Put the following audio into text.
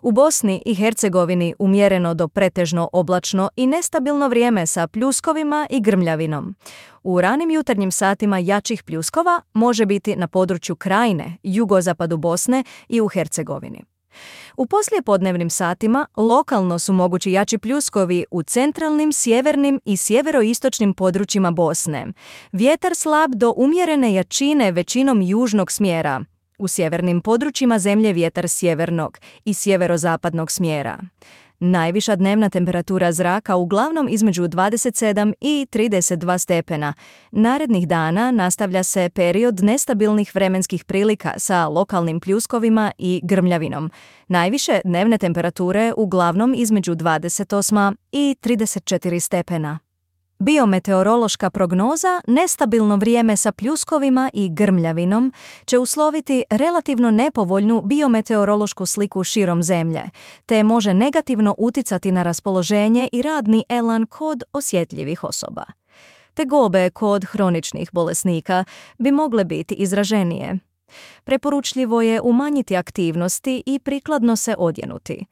U Bosni i Hercegovini umjereno do pretežno oblačno i nestabilno vrijeme sa pljuskovima i grmljavinom. U ranim jutarnjim satima jačih pljuskova može biti na području Krajine, jugozapadu Bosne i u Hercegovini. U poslijepodnevnim satima lokalno su mogući jači pljuskovi u centralnim, sjevernim i sjeveroistočnim područjima Bosne. Vjetar slab do umjerene jačine većinom južnog smjera. U sjevernim područjima zemlje vjetar sjevernog i sjeverozapadnog smjera. Najviša dnevna temperatura zraka uglavnom između 27 i 32 stepena. Narednih dana nastavlja se period nestabilnih vremenskih prilika sa lokalnim pljuskovima i grmljavinom. Najviše dnevne temperature uglavnom između 28 i 34 stepena. Biometeorološka prognoza, nestabilno vrijeme sa pljuskovima i grmljavinom, će usloviti relativno nepovoljnu biometeorološku sliku širom zemlje, te može negativno uticati na raspoloženje i radni elan kod osjetljivih osoba. Tegobe kod hroničnih bolesnika bi mogle biti izraženije. Preporučljivo je umanjiti aktivnosti i prikladno se odjenuti.